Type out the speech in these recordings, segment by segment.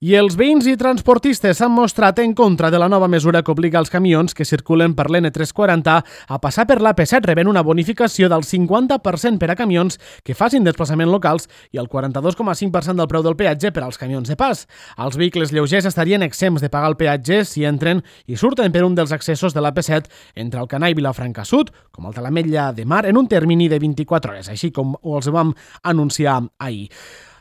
I els veïns i transportistes s'han mostrat en contra de la nova mesura que obliga els camions que circulen per l'N340 a passar per l'AP7 rebent una bonificació del 50% per a camions que facin desplaçaments locals i el 42,5% del preu del peatge per als camions de pas. Els vehicles lleugers estarien exempts de pagar el peatge si entren i surten per un dels accessos de l'AP7 entre Alcanar i Vilafranca Sud, com el de l'Ametlla de Mar, en un termini de 24 hores, així com els vam anunciar ahir.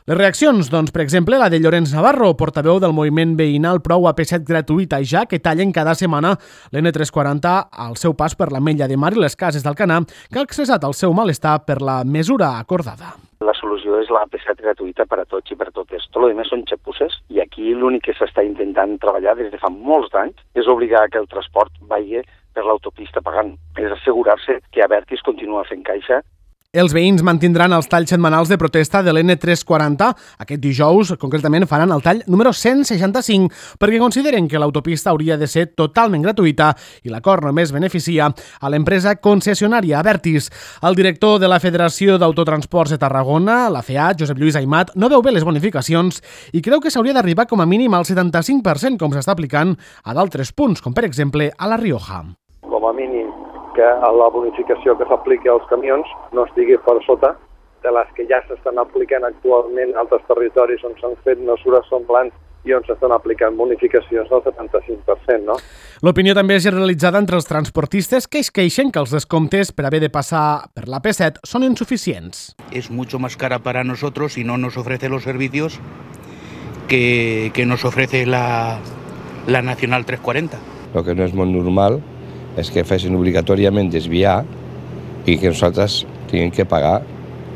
Les reaccions, doncs, per exemple, la de Llorenç Navarro, portaveu del moviment veïnal Prou AP7 gratuïta ja, que tallen cada setmana l'N340 al seu pas per l'Ametlla de Mar i les Cases d'Alcanar, que ha expressat el seu malestar per la mesura acordada. La solució és la AP7 gratuïta per a tots i per a totes. Tot el que més són xapusses i aquí l'únic que s'està intentant treballar des de fa molts anys és obligar que el transport vagi per l'autopista pagant. És assegurar-se que Abertis continua fent caixa. Els veïns mantindran els talls setmanals de protesta de l'N340. Aquest dijous, concretament, faran el tall número 165 perquè consideren que l'autopista hauria de ser totalment gratuïta i l'acord només beneficia a l'empresa concessionària Abertis. El director de la Federació d'Autotransports de Tarragona, la FEA, Josep Lluís Aimat, no veu bé les bonificacions i creu que s'hauria d'arribar com a mínim al 75% com s'està aplicant a d'altres punts, com per exemple a La Rioja. Com a mínim que la bonificació que s'apliqui als camions no estigui per sota de les que ja s'estan aplicant actualment a altres territoris on s'han fet mesures semblants i on s'estan aplicant bonificacions del 75%, no? L'opinió també és generalitzada entre els transportistes que es queixen que els descomptes per haver de passar per l'AP7 són insuficients. Es mucho más cara para nosotros y no nos ofrece los servicios que nos ofrece la Nacional 340. Lo que no és molt normal és que fessin obligatòriament desviar i que nosaltres tinguem que pagar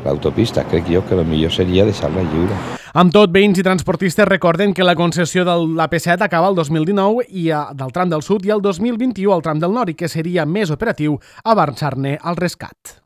l'autopista. Crec jo que el millor seria deixar-la lliure. Amb tot, veïns i transportistes recorden que la concessió de l'AP7 acaba el 2019 i del tram del sud i el 2021 al tram del nord i que seria més operatiu avançar-ne al rescat.